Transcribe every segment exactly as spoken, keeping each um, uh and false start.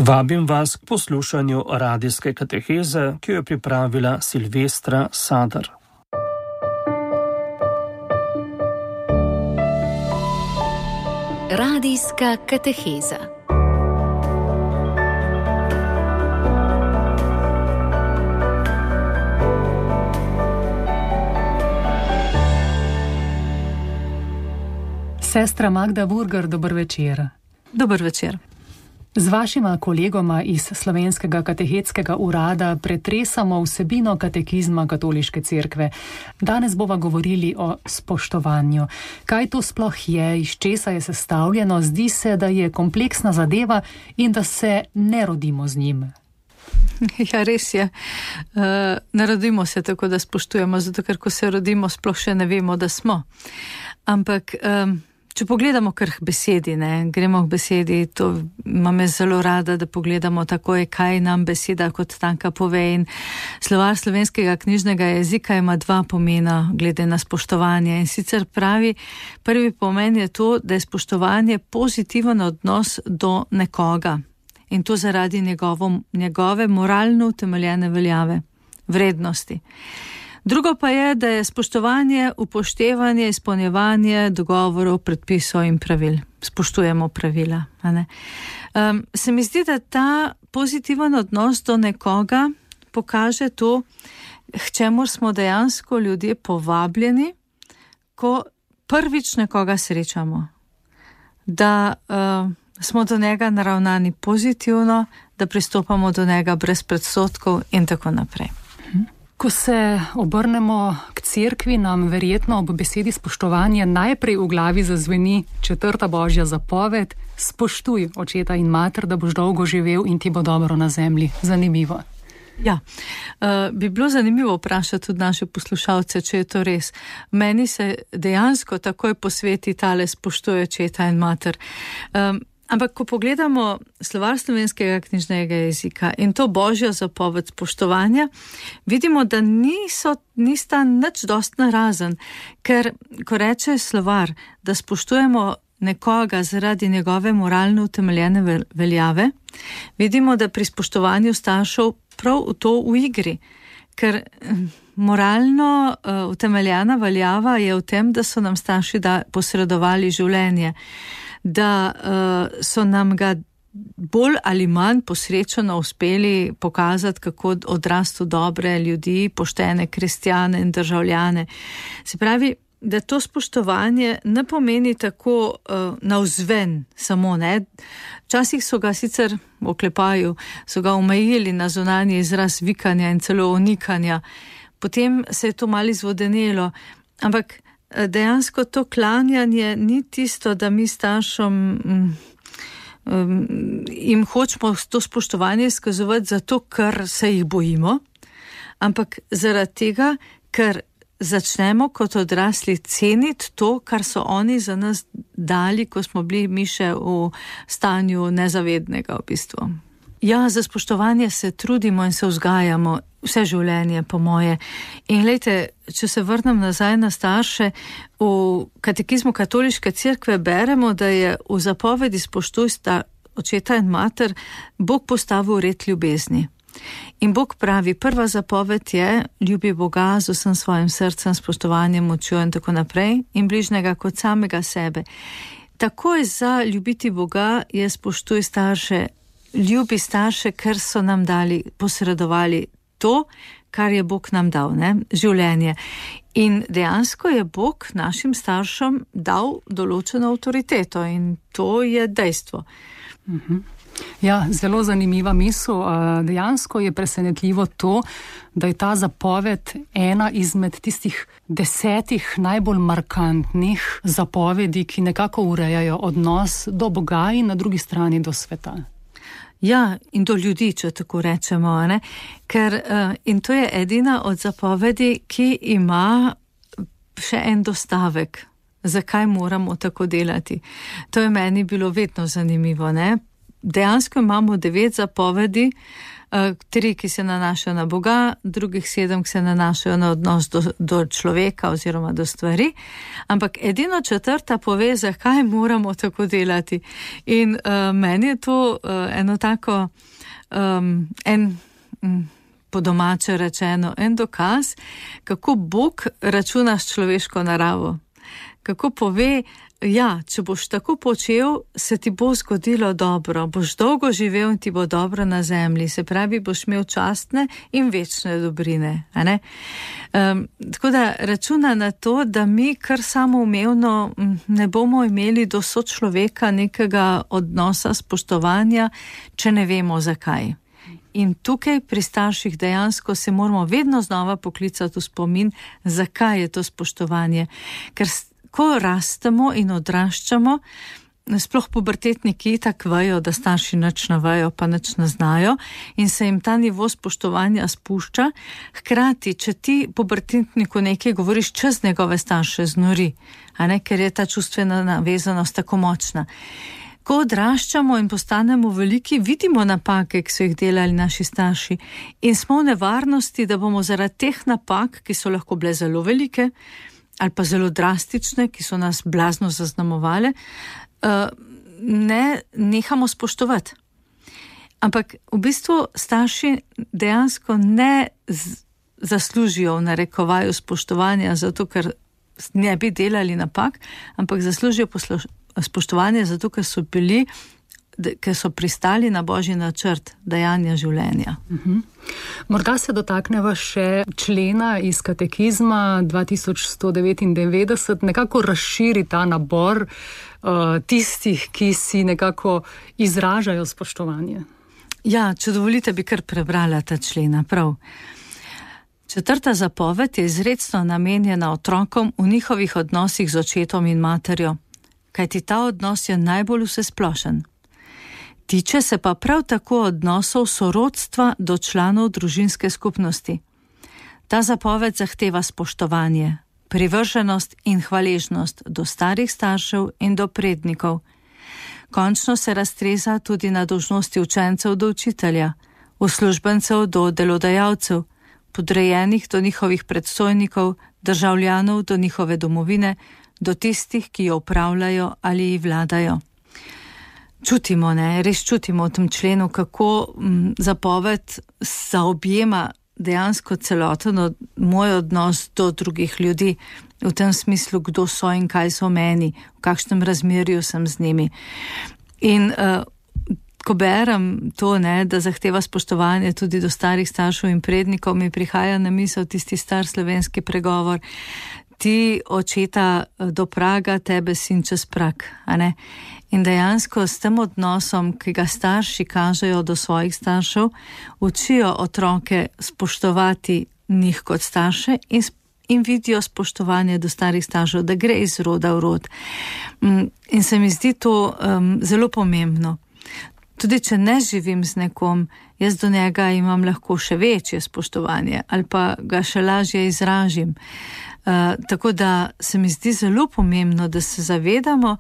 Vabim vas k poslušanju radijske kateheze, ki jo je pripravila Silvestra Sadar. Radijska kateheza. Sestra Magda Burgar, dober večer. Dober večer. Z vašima kolegoma iz Slovenskega katehetskega urada pretresamo vsebino katekizma Katoliške cerkve. Danes bova govorili o spoštovanju. Kaj to sploh je, iz česa je sestavljeno? Zdi se, da je kompleksna zadeva in da se ne rodimo z njim. Ja, res je. Uh, ne rodimo se tako, da spoštujemo, zato ker ko se rodimo, sploh še ne vemo, da smo. Ampak... Um, Če pogledamo kar k besedi, ne, gremo k besedi, to imam jaz zelo rada, da pogledamo takoj, kaj nam beseda kot tanka pove, in slovar slovenskega knjižnega jezika ima dva pomena glede na spoštovanje, in sicer pravi, prvi pomen je to, da je spoštovanje pozitiven odnos do nekoga, in to zaradi njegovo, njegove moralno utemeljene veljave, vrednosti. Drugo pa je, da je spoštovanje, upoštevanje, izpolnjevanje dogovorov, predpisov in pravil. Spoštujemo pravila. A ne? Um, se mi zdi, da ta pozitiven odnos do nekoga pokaže to, k čemur smo dejansko ljudje povabljeni, ko prvič nekoga srečamo. Da uh, smo do njega naravnani pozitivno, da pristopamo do njega brez predsodkov in tako naprej. Ko se obrnemo k cerkvi, nam verjetno ob besedi spoštovanje najprej v glavi zazveni četrta božja zapoved: spoštuj očeta in mater, da boš dolgo živel in ti bo dobro na zemlji. Zanimivo. Ja, uh, bi bilo zanimivo vprašati tudi naše poslušalce, če je to res. Meni se dejansko takoj posveti tale spoštuj očeta in mater. Um, Ampak, ko pogledamo slovar slovenskega knjižnega jezika in to božjo zapoved spoštovanja, vidimo, da niso, nista nič dost narazen, ker, ko reče slovar, da spoštujemo nekoga zaradi njegove moralno utemeljene veljave, vidimo, da pri spoštovanju staršev prav to v igri, ker moralno uh, utemeljena veljava je v tem, da so nam starši da posredovali življenje, da uh, so nam ga bolj ali manj posrečeno uspeli pokazati, kako odrastu dobre ljudi, poštene kristjane in državljane. Se pravi, da to spoštovanje ne pomeni tako uh, navzven samo, ne. Včasih so ga sicer v oklepaju, so ga omejili na zunanji izraz vikanja in celo onikanja. Potem se je to malo izvodenelo, ampak dejansko to klanjanje ni tisto, da mi staršom um, um, jim hočemo to spoštovanje izkazovati zato, ker se jih bojimo, ampak zaradi tega, ker začnemo kot odrasli ceniti to, kar so oni za nas dali, ko smo bili mi še v stanju nezavednega v bistvu. Ja, za spoštovanje se trudimo in se vzgajamo vse življenje, po moje. In glejte, če se vrnem nazaj na starše, v katekizmu katoliške cerkve beremo, da je v zapovedi spoštuj sta očeta in mater Bog postavil red ljubezni. In Bog pravi, prva zapoved je ljubi Boga z vsem svojim srcem, spoštovanjem, močjo in tako naprej in bližnjega kot samega sebe. Takoj za ljubiti Boga je spoštuj starše, ljubi starše, ker so nam dali, posredovali to, kar je Bog nam dal, ne, življenje. In dejansko je Bog našim staršem dal določeno avtoriteto in to je dejstvo. Mhm. Ja, zelo zanimiva misel. Dejansko je presenetljivo to, da je ta zapoved ena izmed tistih desetih najbolj markantnih zapovedi, ki nekako urejajo odnos do Boga in na drugi strani do sveta. Ja, in do ljudi, če tako rečemo, ne? Ker, in to je edina od zapovedi, ki ima še en dostavek. Zakaj moramo tako delati? To je meni bilo vedno zanimivo, ne? Dejansko imamo devet zapovedi, tri, ki se nanašajo na Boga, drugih sedem, ki se nanašajo na odnos do, do človeka oziroma do stvari, ampak edino četrta pove, zakaj moramo tako delati. In uh, meni je to uh, eno tako, um, en, um, po domače rečeno, en dokaz, kako Bog računa s človeško naravo. Kako pove, ja, če boš tako počel, se ti bo zgodilo dobro, boš dolgo živel in ti bo dobro na zemlji, se pravi, boš imel častne in večne dobrine. A ne? Um, tako da računa na to, da mi kar samoumevno ne bomo imeli do sočloveka nekega odnosa, spoštovanja, če ne vemo zakaj. In tukaj pri starših dejansko se moramo vedno znova poklicati v spomin, zakaj je to spoštovanje. Ker ko rastemo in odraščamo, sploh pubertetniki tak vejo, da starši nič ne vejo, pa nič ne znajo in se jim ta nivo spoštovanja spušča. Hkrati, če ti pubertetniku nekaj govoriš, čez njegove starše znori, a ne, ker je ta čustvena navezanost tako močna. Ko odraščamo in postanemo veliki, vidimo napake, ki so jih delali naši starši in smo v nevarnosti, da bomo zaradi teh napak, ki so lahko bile zelo velike, ali pa zelo drastične, ki so nas blazno zaznamovale, ne nehamo spoštovati. Ampak v bistvu starši dejansko ne zaslužijo v narekovaju spoštovanja zato, ker ne bi delali napak, ampak zaslužijo spoštovanje zato, ker so bili, ker so pristali na Božji načrt dajanja življenja. Uh-huh. Morda se dotakneva še člena iz katekizma dva tisoč sto devetindevetdeset, nekako razširi ta nabor uh, tistih, ki si nekako izražajo spoštovanje. Ja, če dovolite, bi kar prebrala ta člena, prav. Četrta zapoved je izrecno namenjena otrokom v njihovih odnosih z očetom in materjo, kajti ta odnos je najbolj vsesplošen. Tiče se pa prav tako odnosov sorodstva do članov družinske skupnosti. Ta zapoved zahteva spoštovanje, privrženost in hvaležnost do starih staršev in do prednikov. Končno se raztreza tudi na dolžnosti učencev do učitelja, uslužbencev do delodajalcev, podrejenih do njihovih predstojnikov, državljanov do njihove domovine, do tistih, ki jo upravljajo ali ji vladajo. Čutimo, ne, res čutimo v tem členu, kako m, zapoved zaobjema dejansko celoten od, moj odnos do drugih ljudi, v tem smislu, kdo so in kaj so meni, v kakšnem razmerju sem z njimi. In uh, ko berem to, ne, da zahteva spoštovanje tudi do starih staršev in prednikov, mi prihaja na misel tisti star slovenski pregovor: ti očeta do praga, tebe sin čez prag, a ne? In dejansko s tem odnosom, ki ga starši kažejo do svojih staršev, učijo otroke spoštovati njih kot starše in, in vidijo spoštovanje do starih staršev, da gre iz roda v rod. In se mi zdi to um, zelo pomembno. Tudi če ne živim z nekom, jaz do njega imam lahko še večje spoštovanje ali pa ga še lažje izražim. Uh, tako da se mi zdi zelo pomembno, da se zavedamo,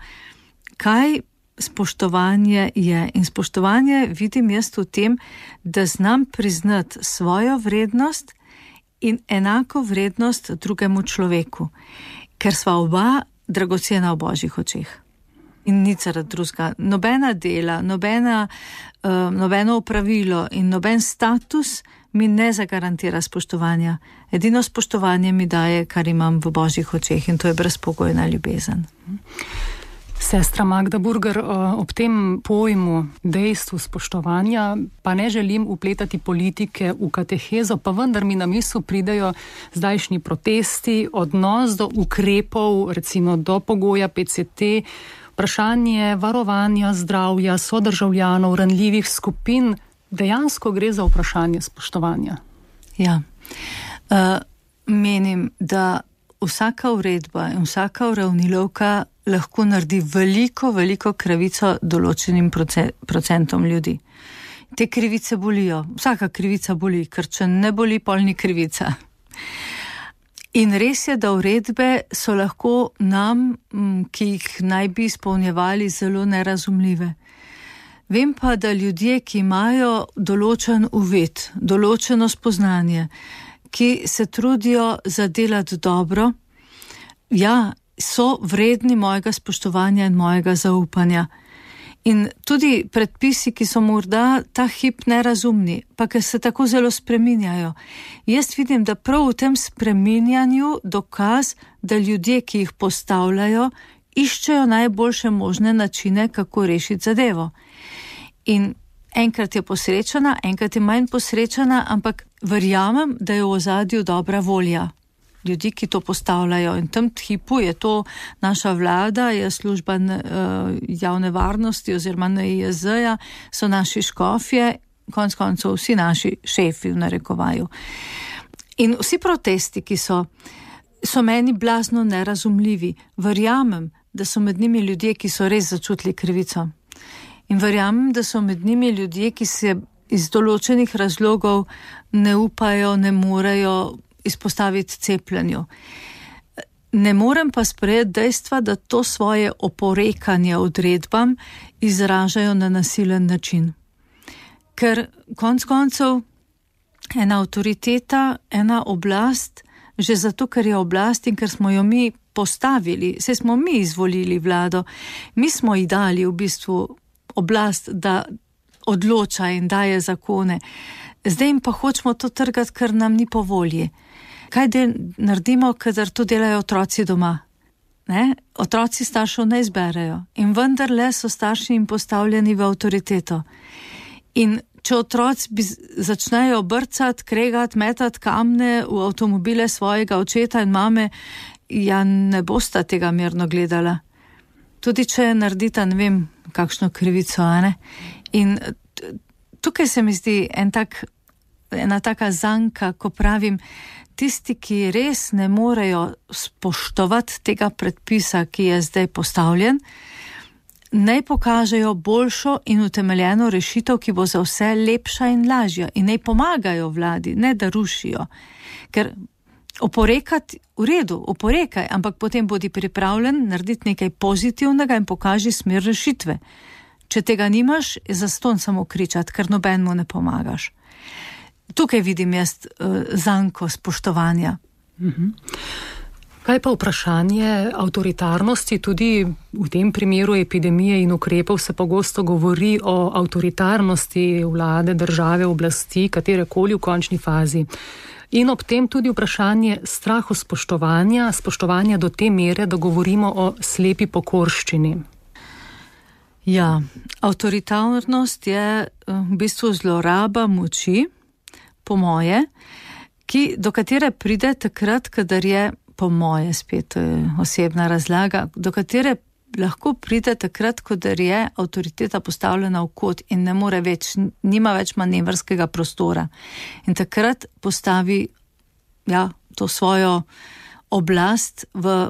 kaj spoštovanje je. In spoštovanje vidim jaz v tem, da znam priznati svojo vrednost in enako vrednost drugemu človeku, ker sva oba dragocena v Božjih očeh. In nič zaradi drugega. Nobena dela, nobena, uh, nobeno opravilo in noben status mi ne zagarantira spoštovanja. Edino spoštovanje mi daje, kar imam v Božjih očeh, in to je brezpogojna ljubezen. Sestra Magda Burger, ob tem pojmu, dejstvu spoštovanja, pa ne želim upletati politike v katehezo, pa vendar mi na misel pridejo zdajšnji protesti, odnos do ukrepov, recimo do pogoja P C T, vprašanje varovanja zdravja sodržavljanov, ranljivih skupin. Dejansko gre za vprašanje spoštovanja. Ja, uh, menim, da vsaka uredba in vsaka uravnilovka lahko naredi veliko, veliko krivico določenim procentom ljudi. Te krivice bolijo, vsaka krivica boli, ker če ne boli, pol ni krivica. In res je, da uredbe so lahko nam, ki jih naj bi izpolnjevali, zelo nerazumljive. Vem pa, da ljudje, ki imajo določen uvid, določeno spoznanje, ki se trudijo zadelati dobro, ja, so vredni mojega spoštovanja in mojega zaupanja. In tudi predpisi, ki so morda ta hip nerazumni, pa ki se tako zelo spreminjajo. Jaz vidim, da prav v tem spreminjanju dokaz, da ljudje, ki jih postavljajo, iščejo najboljše možne načine, kako rešiti zadevo. In enkrat je posrečena, enkrat je manj posrečena, ampak verjamem, da je v ozadju dobra volja ljudi, ki to postavljajo. In v tem hipu je to naša vlada, je služba uh, javne varnosti oziroma N I J Z-ja, so naši škofje, konec koncev vsi naši šefi v narekovaju. In vsi protesti, ki so, so meni blazno nerazumljivi. Verjamem, da so med njimi ljudje, ki so res začutili krivico. In verjamem, da so med njimi ljudje, ki se iz določenih razlogov ne upajo, ne morejo izpostaviti cepljenju. Ne morem pa sprejeti dejstva, da to svoje oporekanje odredbam izražajo na nasilen način. Ker konec koncev ena avtoriteta, ena oblast, že zato, ker je oblast in ker smo jo mi postavili, saj smo mi izvolili vlado, mi smo ji dali v bistvu oblast, da odloča in daje zakone. Zdaj jim pa hočemo to trgati, ker nam ni po volji. Kaj del naredimo, kadar to delajo otroci doma? Ne? Otroci staršev ne izberejo in vendarle so starši jim postavljeni v avtoriteto. In če otroci bi začnejo brcati, kregati, metati kamne v avtomobile svojega očeta in mame, ja, ne bosta tega mirno gledala. Tudi če naredita, ne vem, kakšno krivico, a ne? In tukaj se mi zdi en tak, ena taka zanka, ko pravim, tisti, ki res ne morejo spoštovati tega predpisa, ki je zdaj postavljen, naj pokažejo boljšo in utemeljeno rešitev, ki bo za vse lepša in lažja, in naj pomagajo vladi, ne da rušijo. Ker oporekati, v redu, oporekaj, ampak potem bodi pripravljen narediti nekaj pozitivnega in pokaži smer rešitve. Če tega nimaš, je zastonj samo kričati, ker nobenemu ne pomagaš. Tukaj vidim jaz uh, zanko spoštovanja. Mhm. Kaj pa vprašanje avtoritarnosti? Tudi v tem primeru epidemije in ukrepov se pogosto govori o avtoritarnosti vlade, države, oblasti, katerekoli v končni fazi. In ob tem tudi vprašanje strahu spoštovanja, spoštovanja do te mere, da govorimo o slepi pokorščini. Ja, avtoritarnost je v bistvu zloraba moči, po moje, ki, do katere pride takrat, kadar je po moje spet osebna razlaga, do katere lahko pride takrat, ko je avtoriteta postavljena v kot in ne more več, nima več manevrskega prostora. In takrat postavi ja, to svojo oblast v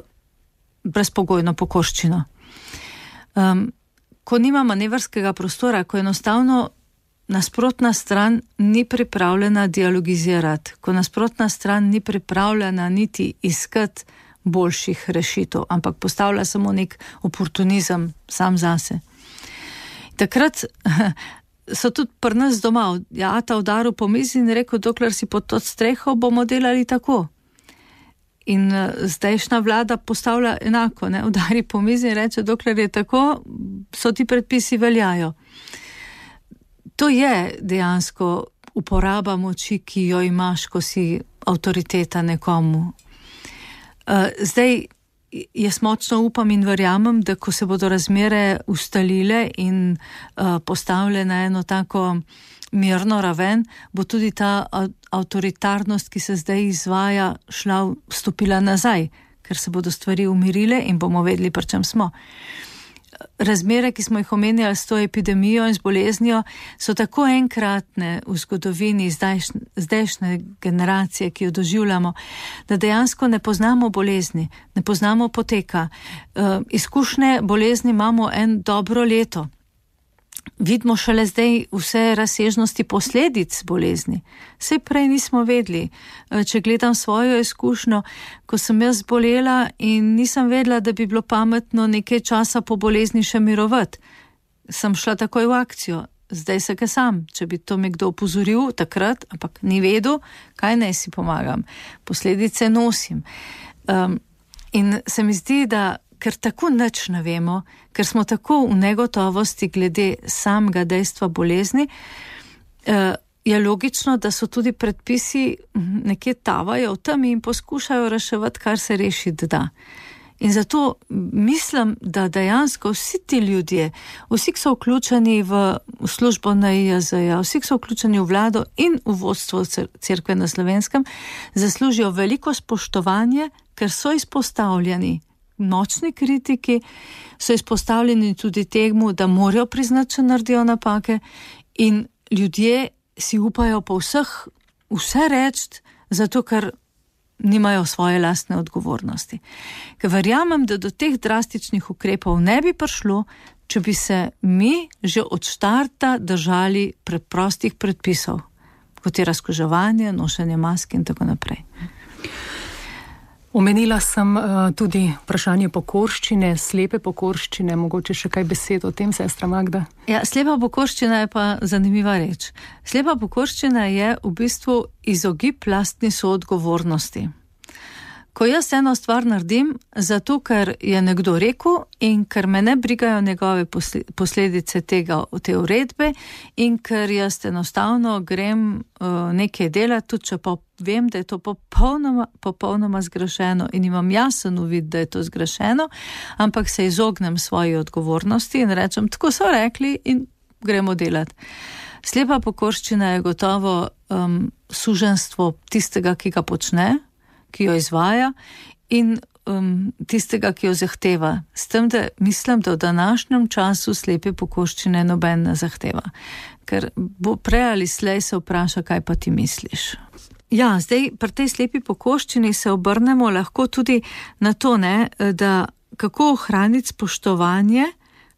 brezpogojno pokorščino. Um, ko nima manevrskega prostora, ko enostavno nasprotna stran ni pripravljena dialogizirati, ko nasprotna stran ni pripravljena niti iskati boljših rešitev, ampak postavlja samo nek oportunizem sam zase. Takrat so tudi pri nas doma, ja, ta udaril po mizi in rekel, dokler si pod to streho, bomo delali tako. In zdajšnja vlada postavlja enako, ne, udari po mizi in reče, dokler je tako, so ti predpisi veljajo. To je dejansko uporaba moči, ki jo imaš, ko si avtoriteta nekomu. Zdaj, jaz močno upam in verjamem, da ko se bodo razmere ustalile in postavile na eno tako mirno raven, bo tudi ta avtoritarnost, ki se zdaj izvaja, šla, stopila nazaj, ker se bodo stvari umirile in bomo vedeli, pri čem smo. Razmere, ki smo jih omenjali s to epidemijo in z boleznijo, so tako enkratne v zgodovini zdajšnje generacije, ki jo doživljamo, da dejansko ne poznamo bolezni, ne poznamo poteka. Uh, izkušnje bolezni imamo en dobro leto. Vidimo šele zdaj vse razsežnosti posledic bolezni. Saj prej nismo vedeli. Če gledam svojo izkušnjo, ko sem jaz bolela in nisem vedela, da bi bilo pametno nekaj časa po bolezni še mirovati, sem šla takoj v akcijo. Zdaj se kaj sam, če bi to mi kdo opozoril takrat, ampak ni vedel, kaj naj si pomagam. Posledice nosim. Um, in se mi zdi, da ker tako nič ne vemo, ker smo tako v negotovosti glede samega dejstva bolezni, je logično, da so tudi predpisi nekje tavajo v temi in poskušajo reševati, kar se rešiti da. In zato mislim, da dejansko vsi ti ljudje, vsi, ki so vključeni v službo N I J Z-ja, vsi, ki so vključeni v vlado in v vodstvo cerkve na Slovenskem, zaslužijo veliko spoštovanje, ker so izpostavljeni močni kritiki, so izpostavljeni tudi temu, da morajo priznati, če naredijo napake, in ljudje si upajo po vseh vse reči, zato ker nimajo svoje lastne odgovornosti. Ker verjamem, da do teh drastičnih ukrepov ne bi prišlo, če bi se mi že od štarta držali preprostih predpisov, kot je razkuževanje, nošenje mask in tako naprej. Omenila sem uh, tudi vprašanje pokorščine, slepe pokorščine, mogoče še kaj besed o tem, sestra Magda? Ja, slepa pokorščina je pa zanimiva reč. Slepa pokorščina je v bistvu izogib lastni soodgovornosti. Ko jaz eno stvar naredim, zato ker je nekdo rekel in ker me ne brigajo njegove posledice tega, te uredbe in ker jaz enostavno grem uh, nekaj delati, tudi če pa vem, da je to popolnoma, popolnoma zgrešeno in imam jasen uvid, da je to zgrešeno, ampak se izognem svoji odgovornosti in rečem, tako so rekli in gremo delati. Slepa pokorščina je gotovo um, suženstvo tistega, ki ga počne, ki jo izvaja in um, tistega, ki jo zahteva. S tem, da mislim, da v današnjem času slepe pokorščine noben ne zahteva. Ker bo prej ali slej se vpraša, kaj pa ti misliš. Ja, zdaj pri tej slepi pokorščini se obrnemo lahko tudi na to, ne, da kako ohraniti spoštovanje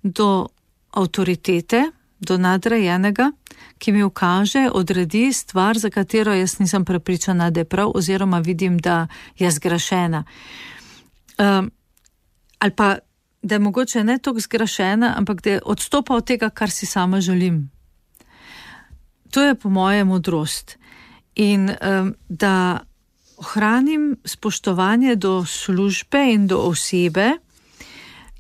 do avtoritete, do nadrejenega, ki mi ukaže, odredi stvar, za katero jaz nisem prepričana, da je prav, oziroma vidim, da je zgrešena. Um, ali pa, da je mogoče ne toliko zgrešena, ampak da je odstopa od tega, kar si sama želim. To je po moje modrost. In um, da ohranim spoštovanje do službe in do osebe,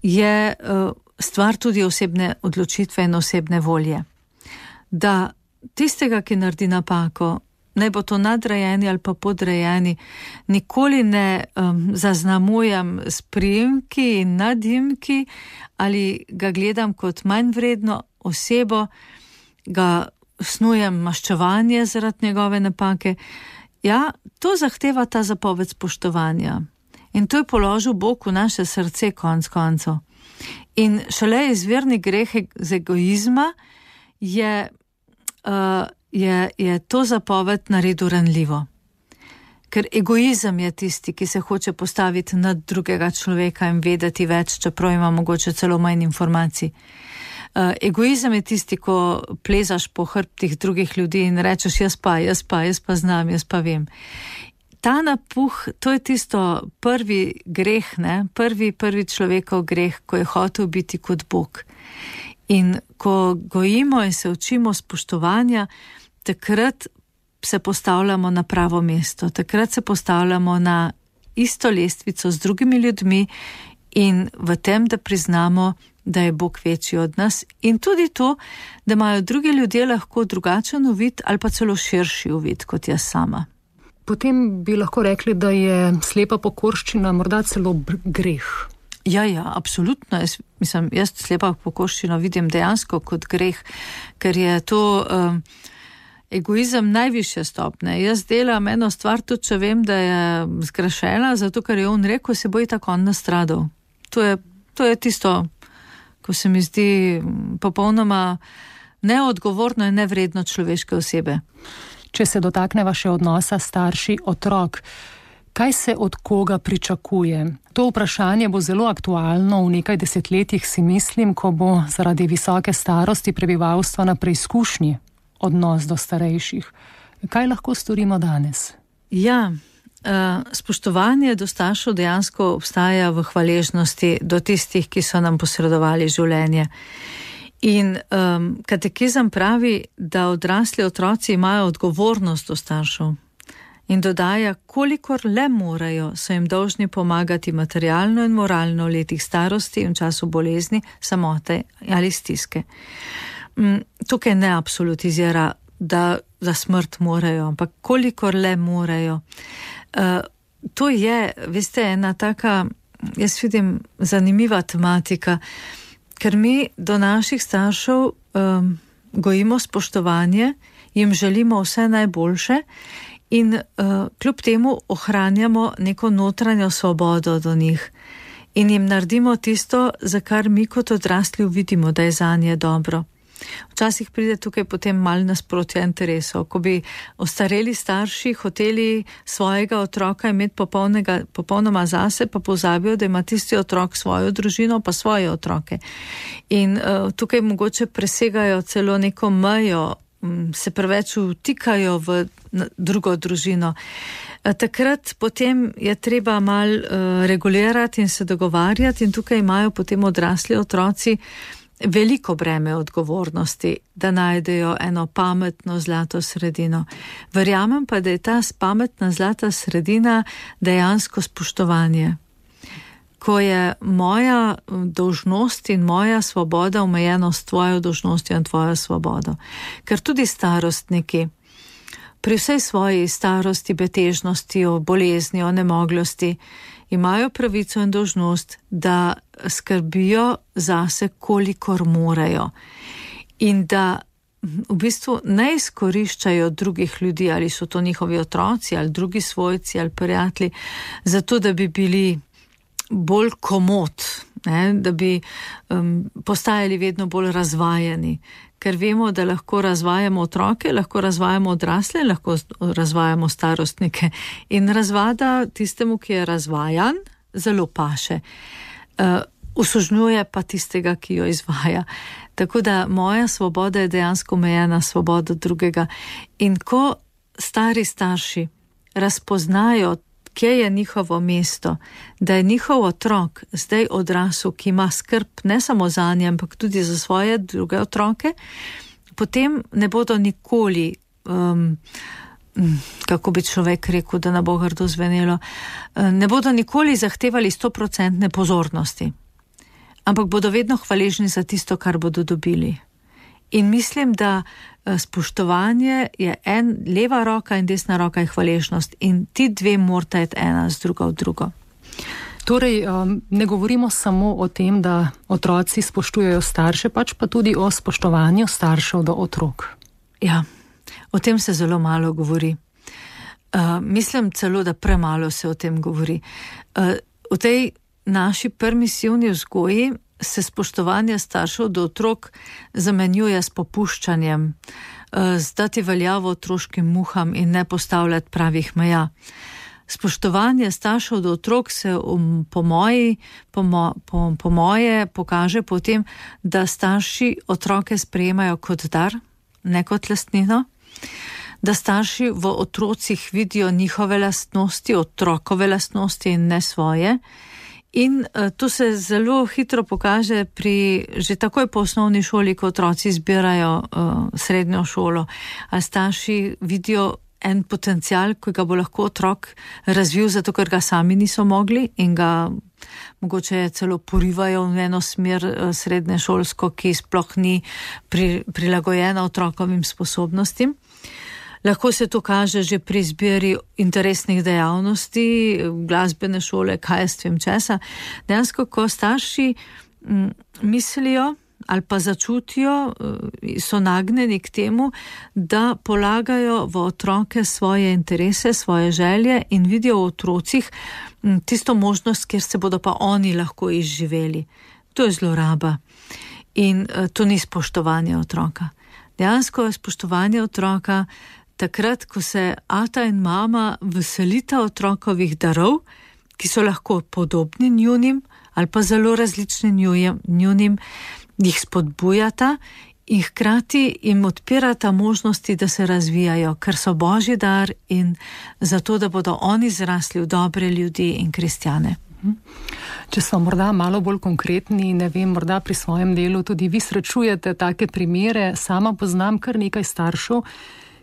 je uh, stvar tudi osebne odločitve in osebne volje. Da tistega, ki naredi napako, naj bo to nadrejeni ali pa podrejeni, nikoli ne um, zaznamujem s priimki in nadimki ali ga gledam kot manj vredno osebo, ga snujem maščevanje zaradi njegove napake. Ja, to zahteva ta zapoved spoštovanja. In to je položil Bog v naše srce konc koncev. In šele izvirni greh z egoizma je, uh, je, je to zapoved naredil ranljivo. Ker egoizem je tisti, ki se hoče postaviti nad drugega človeka in vedeti več, čeprav ima mogoče celo manj informacij. Uh, egoizem je tisti, ko plezaš po hrbtih drugih ljudi in rečeš jaz pa, jaz pa, jaz pa znam, jaz pa vem. Ta napuh, to je tisto prvi greh, ne? prvi, prvi človekov greh, ko je hotel biti kot Bog. In ko gojimo in se učimo spoštovanja, takrat se postavljamo na pravo mesto, takrat se postavljamo na isto lestvico z drugimi ljudmi in v tem, da priznamo, da je Bog večji od nas in tudi to, da imajo drugi ljudje lahko drugačen uvid ali pa celo širši uvid kot jaz sama. Potem bi lahko rekli, da je slepa pokorščina morda celo greh. Ja, ja, absolutno. Jaz, mislim, jaz slepa pokorščino vidim dejansko kot greh, ker je to um, egoizem najvišje stopne. Jaz delam eno stvar, tudi če vem, da je zgrešena, zato ker je on rekel, se bo i tako on nastradal. To je, to je tisto, ko se mi zdi popolnoma neodgovorno in nevredno človeške osebe. Če se dotakneva še odnosa starši otrok, kaj se od koga pričakuje? To vprašanje bo zelo aktualno v nekaj desetletjih, si mislim, ko bo zaradi visoke starosti prebivalstva na preizkušnji odnos do starejših. Kaj lahko storimo danes? Ja, spoštovanje do staršev dejansko obstaja v hvaležnosti do tistih, ki so nam posredovali življenje. In um, katekizem pravi, da odrasli otroci imajo odgovornost do staršev in dodaja, kolikor le morajo, so jim dolžni pomagati materialno in moralno v letih starosti in v času bolezni, samote ali stiske. Um, tukaj ne absolutizira, da za smrt morajo, ampak kolikor le morajo. Uh, to je, veste, ena taka, jaz vidim, zanimiva tematika, ker mi do naših staršev um, gojimo spoštovanje, jim želimo vse najboljše in uh, kljub temu ohranjamo neko notranjo svobodo do njih in jim naredimo tisto, za kar mi kot odrasli vidimo, da je zanje dobro. Včasih pride tukaj potem malo nasprotja interesov, ko bi ostareli starši hoteli svojega otroka imeti popolnoma zase, pa pozabijo, da ima tisti otrok svojo družino, pa svoje otroke. In uh, tukaj mogoče presegajo celo neko mejo, um, se preveč vtikajo v drugo družino. Uh, takrat potem je treba malo uh, regulirati in se dogovarjati in tukaj imajo potem odrasli otroci veliko breme odgovornosti, da najdejo eno pametno zlato sredino. Verjamem pa, da je ta pametna zlata sredina dejansko spoštovanje. Ko je moja dolžnost in moja svoboda omejena s tvojo dolžnostjo in tvojo svobodo. Ker tudi starostniki pri vsej svoji starosti, betežnosti, o bolezni, o nemoglosti imajo pravico in dolžnost, da skrbijo zase, kolikor morajo. In da v bistvu ne izkoriščajo drugih ljudi, ali so to njihovi otroci, ali drugi svojci, ali prijatelji, zato da bi bili bolj komod, ne? Da bi um, postajali vedno bolj razvajani. Ker vemo, da lahko razvajamo otroke, lahko razvajamo odrasle, lahko razvajamo starostnike. In razvada tistemu, ki je razvajan, zelo paše. Uh, usužnjuje pa tistega, ki jo izvaja. Tako da moja svoboda je dejansko omejena svobodo drugega. In ko stari starši razpoznajo, kje je njihovo mesto, da je njihov otrok zdaj odrasel, ki ima skrb ne samo za nje, ampak tudi za svoje druge otroke, potem ne bodo nikoli, um, kako bi človek rekel, da ne bo grdo zvenelo, ne bodo nikoli zahtevali stoprocentne pozornosti, ampak bodo vedno hvaležni za tisto, kar bodo dobili. In mislim, da spoštovanje je en, leva roka in desna roka je hvaležnost in ti dve morata iti ena z drugo v drugo. Torej, ne govorimo samo o tem, da otroci spoštujejo starše, pač pa tudi o spoštovanju staršev do otrok. Ja, o tem se zelo malo govori. Uh, mislim celo, da premalo se o tem govori. Uh, v tej naši permisivni vzgoji se spoštovanje staršev do otrok zamenjuje s popuščanjem, uh, zdati veljavo otroškim muham in ne postavljati pravih meja. Spoštovanje staršev do otrok se um, po, moji, po, mo, po, po moje pokaže potem, da starši otroke sprejemajo kot dar, ne kot lastnino, da starši v otrocih vidijo njihove lastnosti, otrokove lastnosti in ne svoje. In uh, to se zelo hitro pokaže pri že takoj po osnovni šoli, ko otroci izbirajo uh, srednjo šolo, a starši vidijo en potencial, ki ga bo lahko otrok razvil, zato ker ga sami niso mogli in ga mogoče celo porivajo v eno smer srednje šolsko, ki sploh ni pri, prilagojena otrokovim sposobnostim. Lahko se to kaže že pri izbiri interesnih dejavnosti, glasbene šole, kaj jaz vem česa. Dejansko, ko starši m, mislijo ali pa začutijo, so nagnjeni k temu, da polagajo v otroke svoje interese, svoje želje in vidijo v otrocih tisto možnost, kjer se bodo pa oni lahko izživeli. To je zloraba in to ni spoštovanje otroka. Dejansko je spoštovanje otroka takrat, ko se ata in mama veselita otrokovih darov, ki so lahko podobni njunim ali pa zelo različni njunim, jih spodbujata in hkrati jim odpirata možnosti, da se razvijajo, ker so božji dar in zato, da bodo oni zrasli v dobre ljudi in kristjane. Če smo morda malo bolj konkretni, ne vem, morda pri svojem delu tudi vi srečujete take primere. Sama poznam kar nekaj staršev,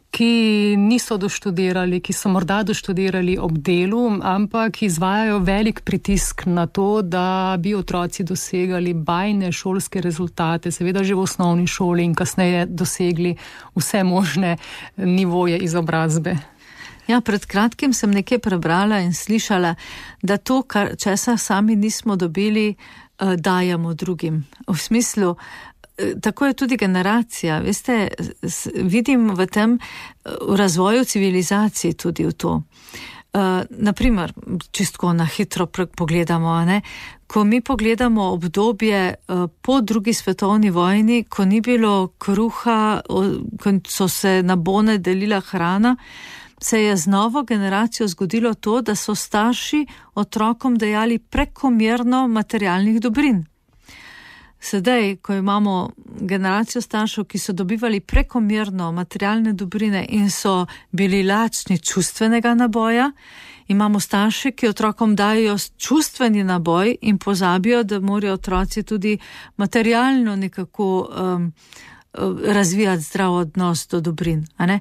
ki niso doštudirali, ki so morda doštudirali ob delu, ampak izvajajo velik pritisk na to, da bi otroci dosegali bajne šolske rezultate, seveda že v osnovni šoli in kasneje dosegli vse možne nivoje izobrazbe. Ja, pred kratkim sem nekaj prebrala in slišala, da to, kar česa sami nismo dobili, dajemo drugim. V smislu, tako je tudi generacija, veste, vidim v tem, v razvoju civilizaciji tudi v to. Uh, naprimer, čistko na hitro pogledamo, ne? Ko mi pogledamo obdobje uh, po drugi svetovni vojni, ko ni bilo kruha, ko so se na bone delila hrana, se je z novo generacijo zgodilo to, da so starši otrokom dajali prekomerno materialnih dobrin. Sedaj, ko imamo generacijo staršev, ki so dobivali prekomerno materialne dobrine in so bili lačni čustvenega naboja, imamo starše, ki otrokom dajo čustveni naboj in pozabijo, da morajo otroci tudi materialno nekako um, razvijati zdrav odnos do dobrin. A ne?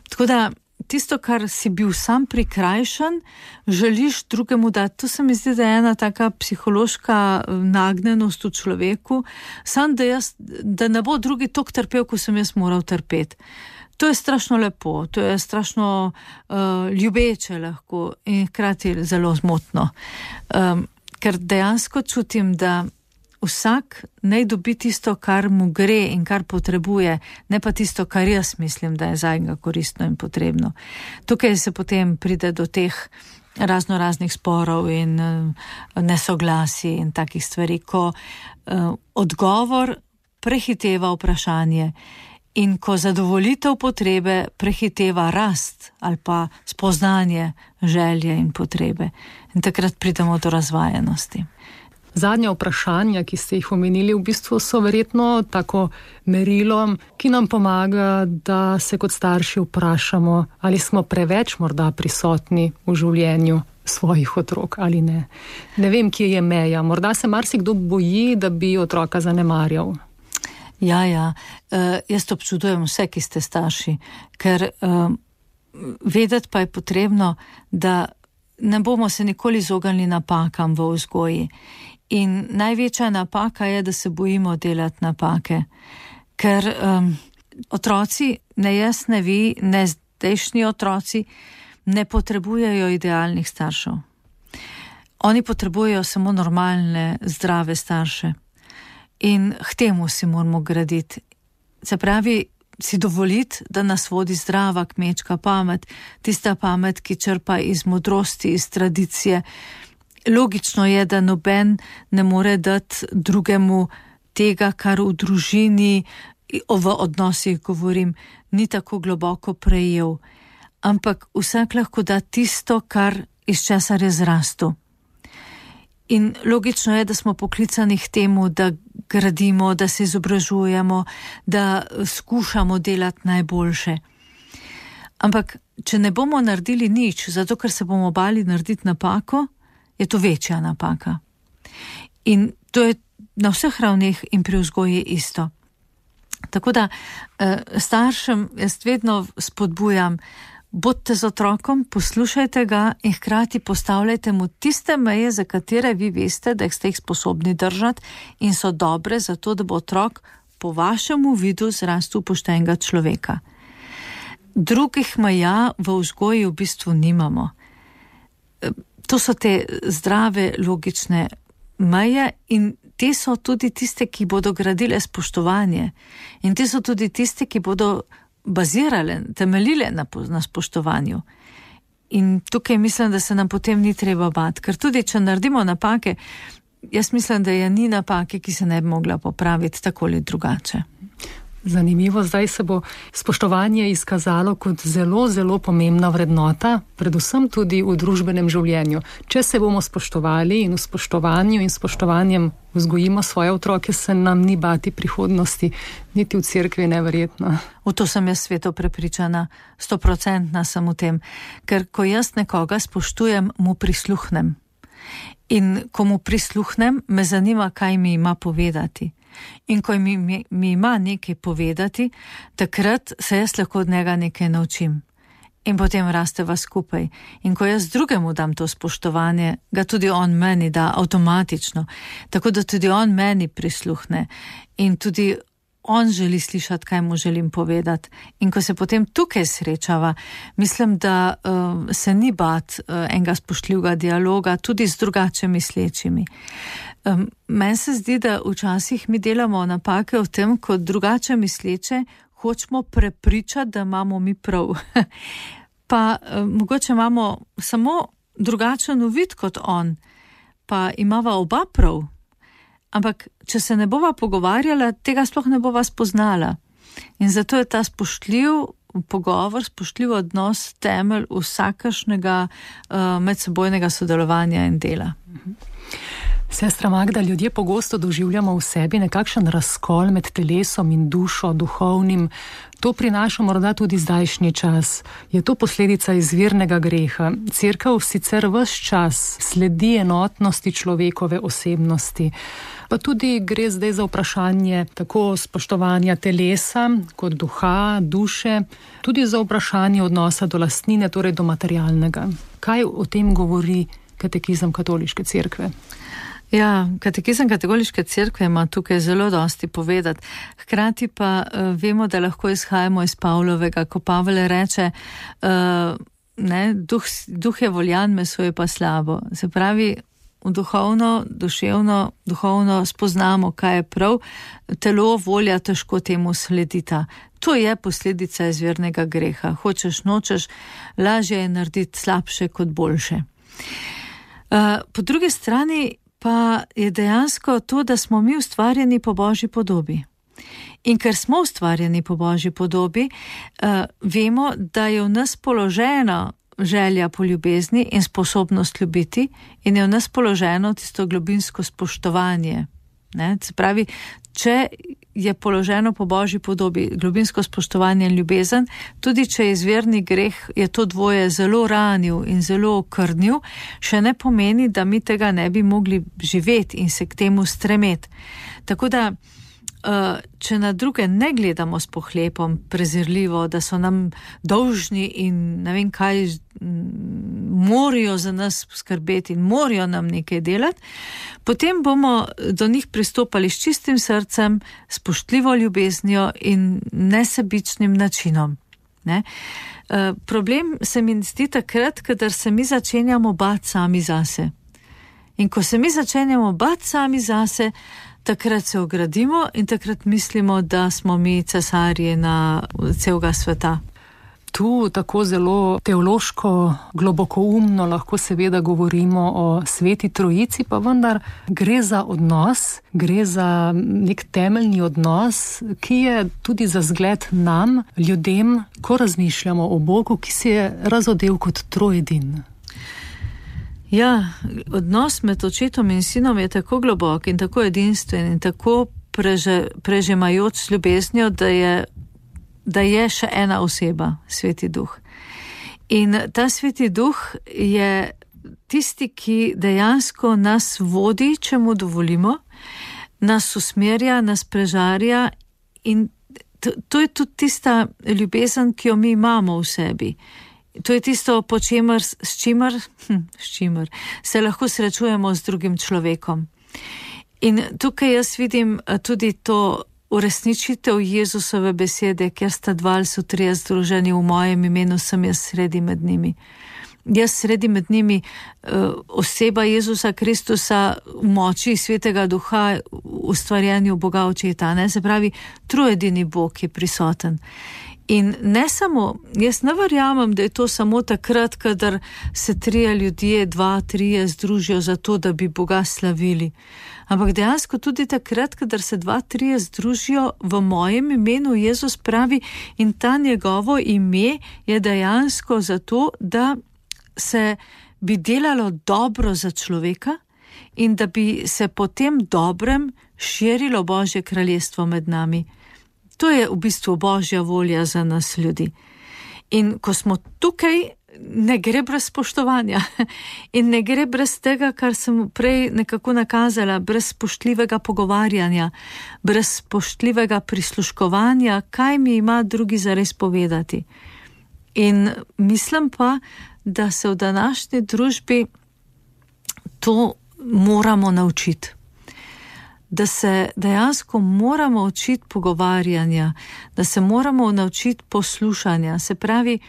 Tako da tisto, kar si bil sam prikrajšan, želiš drugemu dati. To se mi zdi, da je ena taka psihološka nagnjenost v človeku, sam da, jaz, da ne bo drugi toliko trpel, ko sem jaz moral trpeti. To je strašno lepo, to je strašno uh, ljubeče lahko in hkrati zelo zmotno. Um, ker dejansko čutim, da vsak naj dobi tisto, kar mu gre in kar potrebuje, ne pa tisto, kar jaz mislim, da je zanj koristno in potrebno. Tukaj se potem pride do teh razno raznih sporov in uh, nesoglasij in takih stvari, ko uh, odgovor prehiteva vprašanje in ko zadovolitev potrebe prehiteva rast ali pa spoznanje želje in potrebe. In takrat pridemo do razvajenosti. Zadnja vprašanja, ki ste jih omenili, v bistvu so verjetno tako merilo, ki nam pomaga, da se kot starši vprašamo, ali smo preveč morda prisotni v življenju svojih otrok ali ne. Ne vem, kje je meja. Morda se marsikdo boji, da bi otroka zanemarjal. Ja, ja. Uh, jaz to občudujem vse, ki ste starši, ker uh, vedeti pa je potrebno, da ne bomo se nikoli izognili napakam v vzgoji. In največja napaka je, da se bojimo delati napake. Ker um, otroci, ne jaz, ne vi, ne zdajšnji otroci, ne potrebujejo idealnih staršev. Oni potrebujejo samo normalne, zdrave starše. In k temu si moramo graditi. Se pravi, si dovoliti, da nas vodi zdrava kmečka pamet, tista pamet, ki črpa iz modrosti, iz tradicije. Logično je, da noben ne more dati drugemu tega, kar v družini, v odnosih govorim, ni tako globoko prejel. Ampak vsak lahko da tisto, kar iz česar je zrastel. In logično je, da smo poklicani k temu, da gradimo, da se izobražujemo, da skušamo delati najboljše. Ampak, če ne bomo naredili nič, zato ker se bomo bali narediti napako, je to večja napaka. In to je na vseh ravneh in pri vzgoji isto. Tako da staršem jaz vedno spodbujam, bodite z otrokom, poslušajte ga in hkrati postavljajte mu tiste meje, za katere vi veste, da ste jih sposobni držati in so dobre za to, da bo otrok po vašemu vidu zrastel poštenega človeka. Drugih meja v vzgoji v bistvu nimamo. To so te zdrave, logične meje in te so tudi tiste, ki bodo gradile spoštovanje. In te so tudi tiste, ki bodo bazirale, temeljile na, na spoštovanju. In tukaj mislim, da se nam potem ni treba bati, ker tudi, če naredimo napake, jaz mislim, da je ni napake, ki se ne bi mogla popraviti tako ali drugače. Zanimivo, zdaj se bo spoštovanje izkazalo kot zelo, zelo pomembna vrednota, predvsem tudi v družbenem življenju. Če se bomo spoštovali in v spoštovanju in spoštovanjem vzgojimo svoje otroke, se nam ni bati prihodnosti, niti v cerkvi neverjetno. V to sem jaz sveto prepričana, stoprocentna sem v tem, ker ko jaz nekoga spoštujem, mu prisluhnem. In ko mu prisluhnem, me zanima, kaj mi ima povedati. In ko mi, mi, mi ima nekaj povedati, takrat se jaz lahko od njega nekaj naučim. In potem rasteva skupaj. In ko jaz drugemu dam to spoštovanje, ga tudi on meni da avtomatično. Tako da tudi on meni prisluhne. In tudi on želi slišati, kaj mu želim povedati. In ko se potem tukaj srečava, mislim, da uh, se ni bat uh, enega spoštljivega dialoga, tudi z drugače mislečimi. Um, meni se zdi, da včasih mi delamo napake v tem, ko drugače misleče hočemo prepričati, da imamo mi prav. Pa um, mogoče imamo samo drugačen uvid kot on, pa imava oba prav. Ampak, če se ne bova pogovarjala, tega sploh ne bova spoznala. In zato je ta spoštljiv pogovor, spoštljiv odnos temelj vsakašnjega uh, medsebojnega sodelovanja in dela. Sestra Magda, ljudje pogosto doživljamo v sebi nekakšen razkol med telesom in dušo, duhovnim. To prinaša morda tudi zdajšnji čas. Je to posledica izvirnega greha? Cerkev sicer ves čas sledi enotnosti človekove osebnosti. Pa tudi gre zdaj za vprašanje tako spoštovanja telesa kot duha, duše, tudi za vprašanje odnosa do lastnine, torej do materialnega. Kaj o tem govori katekizem katoliške cerkve? Ja, katekizem katoliške cerkve ima tukaj zelo dosti povedati. Hkrati pa uh, vemo, da lahko izhajamo iz Pavlovega, ko Pavel reče, uh, ne, duh, duh je voljan, meso je pa slabo. Se pravi, v duhovno, duševno, duhovno spoznamo, kaj je prav, telo, volja težko temu sledita. To je posledica izvirnega greha. Hočeš, nočeš, lažje je narediti slabše kot boljše. Uh, po drugi strani pa je dejansko to, da smo mi ustvarjeni po Božji podobi. In ker smo ustvarjeni po Božji podobi, uh, vemo, da je v nas položena želja po ljubezni in sposobnost ljubiti in je v nas položeno tisto globinsko spoštovanje. Ne? Se pravi, če je položeno po Božji podobi globinsko spoštovanje in ljubezen, tudi če je izvirni greh, je to dvoje zelo ranil in zelo okrnil, še ne pomeni, da mi tega ne bi mogli živeti in se k temu stremeti. Tako da, če na druge ne gledamo s pohlepom, prezirljivo, da so nam dolžni in ne vem kaj, morajo za nas skrbeti in morajo nam nekaj delati, potem bomo do njih pristopali s čistim srcem, spoštljivo ljubeznijo in nesebičnim načinom. Ne? Uh, problem se mi zdi takrat, kadar se mi začenjamo bati sami zase. In ko se mi začenjamo bati sami zase, takrat se ogradimo in takrat mislimo, da smo mi cesarji na celega sveta. Tu tako zelo teološko, globokoumno lahko seveda govorimo o Sveti Trojici, pa vendar gre za odnos, gre za nek temeljni odnos, ki je tudi za zgled nam, ljudem, ko razmišljamo o Bogu, ki se je razodel kot trojedin. Ja, odnos med očetom in sinom je tako globok in tako edinstven in tako preže, prežemajoč s ljubeznijo, da je da je še ena oseba, Sveti Duh. In ta Sveti Duh je tisti, ki dejansko nas vodi, če mu dovolimo, nas usmerja, nas prežarja in to, to je tudi tista ljubezen, ki jo mi imamo v sebi. To je tisto, po čemer, s čimer, hm, s čimer se lahko srečujemo z drugim človekom. In tukaj jaz vidim tudi to uresničitev Jezusove besede, ker sta dva ali so trije združeni v mojem imenu, sem jaz sredi med njimi. Jaz sredi med njimi oseba Jezusa Kristusa v moči Svetega Duha v ustvarjanju Boga Očeta, ne? Se pravi, trojedini Bog je prisoten. In ne samo, jaz ne verjamem, da je to samo takrat, kadar se trije ljudje, dva, trije združijo za to, da bi Boga slavili. Ampak dejansko tudi takrat, kadar se dva, trije združijo v mojem imenu, Jezus pravi, in ta njegovo ime je dejansko zato, da se bi delalo dobro za človeka in da bi se po tem dobrem širilo Božje kraljestvo med nami. To je v bistvu Božja volja za nas ljudi. In ko smo tukaj, ne gre brez spoštovanja in ne gre brez tega, kar sem prej nekako nakazala, brez spoštljivega pogovarjanja, brez spoštljivega prisluškovanja, kaj mi ima drugi zares povedati. In mislim pa, da se v današnji družbi to moramo naučiti. Da se dejansko moramo učiti pogovarjanja, da se moramo naučiti poslušanja. Se pravi,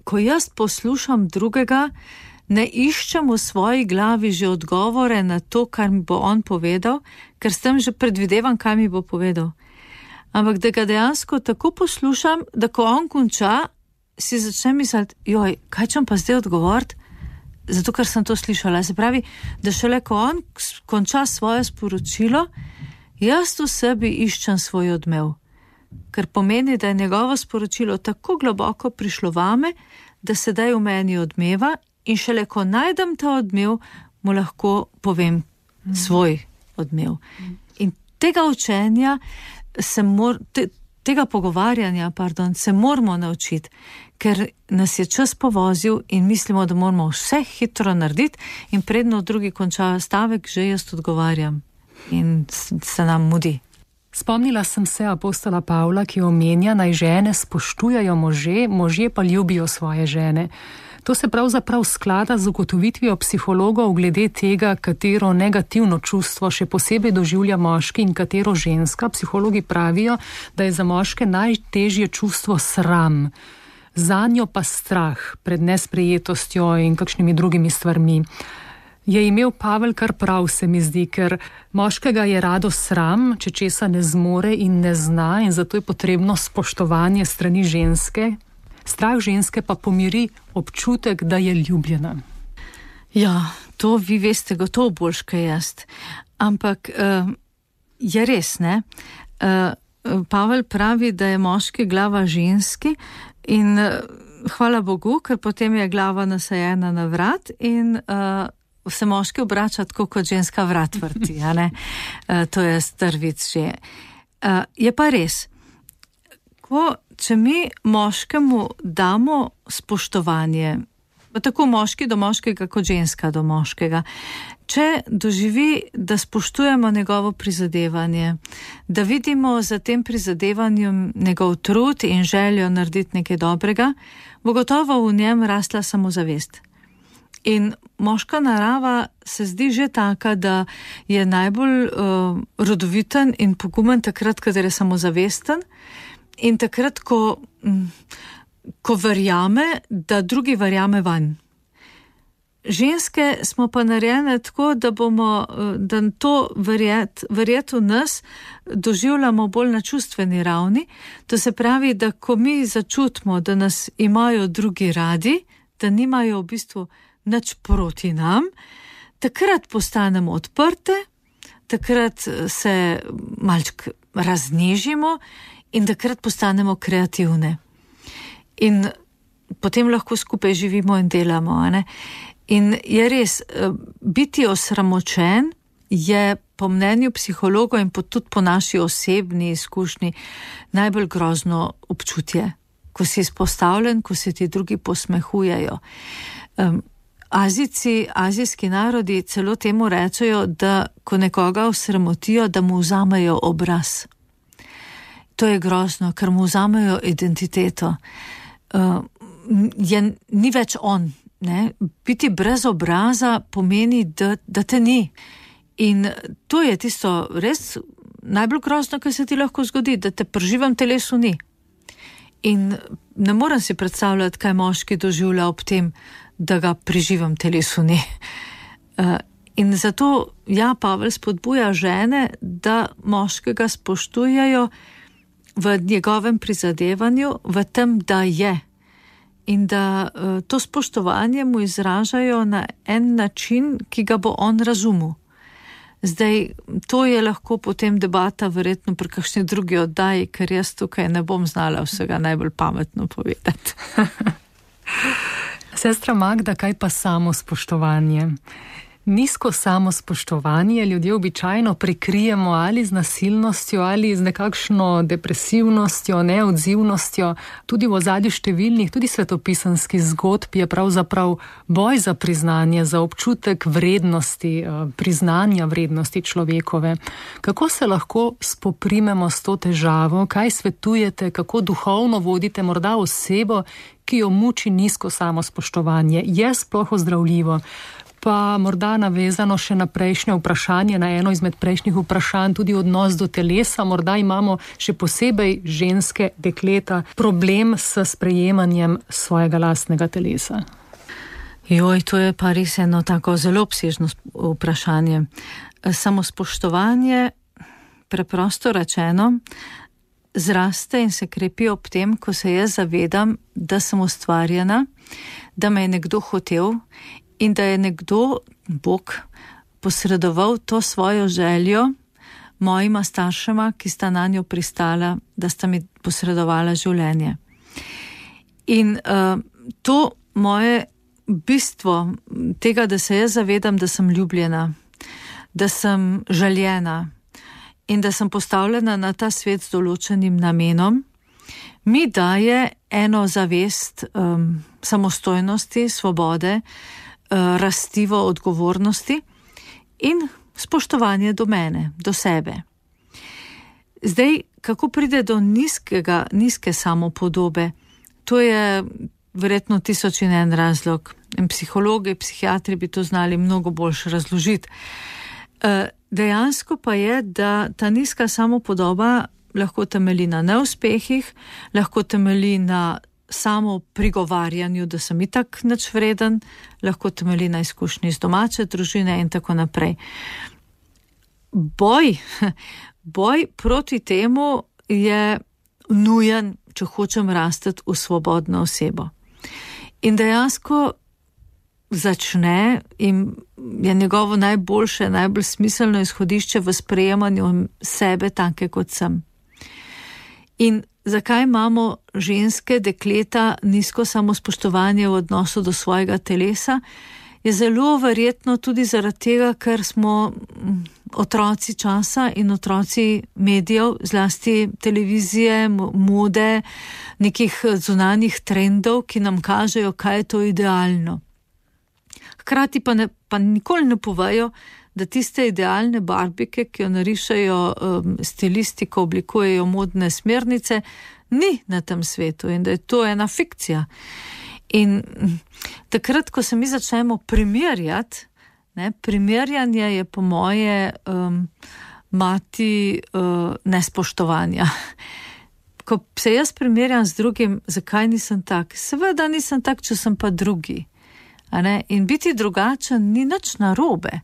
ko jaz poslušam drugega, ne iščem v svoji glavi že odgovore na to, kar mi bo on povedal, ker s tem že predvidevam, kaj mi bo povedal. Ampak da ga dejansko tako poslušam, da ko on konča, si začnem misliti, joj, kaj čem pa zdaj odgovoriti? Zato, ker sem to slišala. Se pravi, da šele ko on konča svoje sporočilo, jaz v sebi iščem svoj odmev. Ker pomeni, da je njegovo sporočilo tako globoko prišlo vame, da sedaj v meni odmeva in šele ko najdem ta odmev, mu lahko povem mm. svoj odmev. Mm. In tega učenja, se mor, te, tega pogovarjanja, pardon, se moramo naučiti, ker nas je čas povozil in mislimo, da moramo vse hitro narediti in predno drugi konča stavek, že jaz odgovarjam in se nam mudi. Spomnila sem se apostola Pavla, ki omenja, naj žene spoštujajo može, možje pa ljubijo svoje žene. To se pravzaprav sklada z ugotovitvijo psihologov glede tega, katero negativno čustvo še posebej doživlja moški in katero ženska. Psihologi pravijo, da je za moške najtežje čustvo sram, zanjo pa strah pred nesprejetostjo in kakšnimi drugimi stvarmi. Je imel Pavel kar prav, se mi zdi, ker moškega je rado sram, če česa ne zmore in ne zna, in zato je potrebno spoštovanje strani ženske. Strah ženske pa pomiri občutek, da je ljubljena. Ja, to vi veste gotovo boljš kaj jaz. Ampak uh, je res, ne? Uh, Pavel pravi, da je moški glava ženski in uh, hvala Bogu, ker potem je glava nasajena na vrat in uh, se moški obrača tako, kot ženska vrat vrti, a ne? Uh, to je strvic že. Uh, je pa res, ko, če mi moškemu damo spoštovanje, tako moški do moškega, kot ženska do moškega, če doživi, da spoštujemo njegovo prizadevanje, da vidimo za tem prizadevanjem njegov trud in željo narediti nekaj dobrega, bo gotovo v njem rasla samozavest. In moška narava se zdi že taka, da je najbolj uh, rodoviten in pogumen takrat, kadar je samozavesten in takrat, ko, um, ko verjame, da drugi verjame vanj. ženske smo pa narejene tako, da bomo, da to verjet, verjet v nas doživljamo bolj na čustveni ravni. To se pravi, da ko mi začutimo, da nas imajo drugi radi, da nimajo v bistvu nič proti nam, takrat postanemo odprte, takrat se malček raznežimo in takrat postanemo kreativne. In potem lahko skupaj živimo in delamo, a ne? In je res, biti osramočen je po mnenju psihologov in tudi po naši osebni izkušnji najbolj grozno občutje, ko si izpostavljen, ko se ti drugi posmehujejo. Um, Azijci, azijski narodi celo temu rečejo, da ko nekoga osramotijo, da mu vzamejo obraz. To je grozno, ker mu vzamejo identiteto. Uh, je, ni več on. Ne? Biti brez obraza pomeni, da, da te ni. In to je tisto res najbolj grozno, kar se ti lahko zgodi, da te pri živem telesu ni. In ne morem si predstavljati, kaj moški doživlja ob tem, da ga pri živem telesu ni. In zato ja, Pavel spodbuja žene, da moškega spoštujejo v njegovem prizadevanju, v tem, da je. In da to spoštovanje mu izražajo na en način, ki ga bo on razumel. Zdaj, to je lahko potem debata verjetno pri kakšni drugi oddaji, ker jaz tukaj ne bom znala vsega najbolj pametno povedati. Sestra Magda, kaj pa samo spoštovanje? Nizko samospoštovanje ljudje običajno prikrijemo ali z nasilnostjo ali z nekakšno depresivnostjo, neodzivnostjo. Tudi v ozadju številnih, tudi svetopisanskih zgodb je pravzaprav boj za priznanje, za občutek vrednosti, priznanja vrednosti človekove. Kako se lahko spoprimemo s to težavo? Kaj svetujete, kako duhovno vodite morda osebo, ki jo muči nizko samospoštovanje? Je sploh ozdravljivo? Pa morda navezano še na prejšnje vprašanje, na eno izmed prejšnjih vprašanj, tudi odnos do telesa. Morda imamo še posebej ženske dekleta problem s sprejemanjem svojega lastnega telesa. Joj, to je pa res eno tako zelo obsežno vprašanje. Samospoštovanje, preprosto rečeno, zraste in se krepi ob tem, ko se jaz zavedam, da sem ustvarjena, da me je nekdo hotel in da je nekdo, Bog, posredoval to svojo željo mojima staršema, ki sta na njo pristala, da sta mi posredovala življenje. In uh, to moje bistvo tega, da se jaz zavedam, da sem ljubljena, da sem željena in da sem postavljena na ta svet z določenim namenom, mi daje eno zavest um, samostojnosti, svobode, rastivo odgovornosti in spoštovanje do mene, do sebe. Zdaj, kako pride do nizkega, nizke samopodobe, to je verjetno tisoč in en razlog. In psihologi, psihiatri bi to znali mnogo boljše razložiti. Dejansko pa je, da ta nizka samopodoba lahko temelji na neuspehih, lahko temelji na samo prigovarjanju, da sem itak nič vreden, lahko temelji na izkušnji iz domače družine in tako naprej. Boj, boj proti temu je nujen, če hočem rasteti v svobodno osebo. In dejansko začne in je njegovo najboljše, najbolj smiselno izhodišče v sprejemanju sebe take, kot sem. In zakaj imamo ženske dekleta nizko samospoštovanje v odnosu do svojega telesa? Je zelo verjetno tudi zaradi tega, ker smo otroci časa in otroci medijev, zlasti televizije, mode, nekih zunanjih trendov, ki nam kažejo, kaj je to idealno. Hkrati pa, ne, pa nikoli ne povejo, da tiste idealne barbike, ki jo narišajo um, stilisti, ko oblikujejo modne smernice, ni na tem svetu in da je to ena fikcija. In takrat, ko se mi začnemo primerjati, ne, primerjanje je po moje um, mati uh, nespoštovanja. Ko se jaz primerjam z drugim, zakaj nisem tak? Seveda nisem tak, če sem pa drugi. A ne? In biti drugačen ni nič narobe.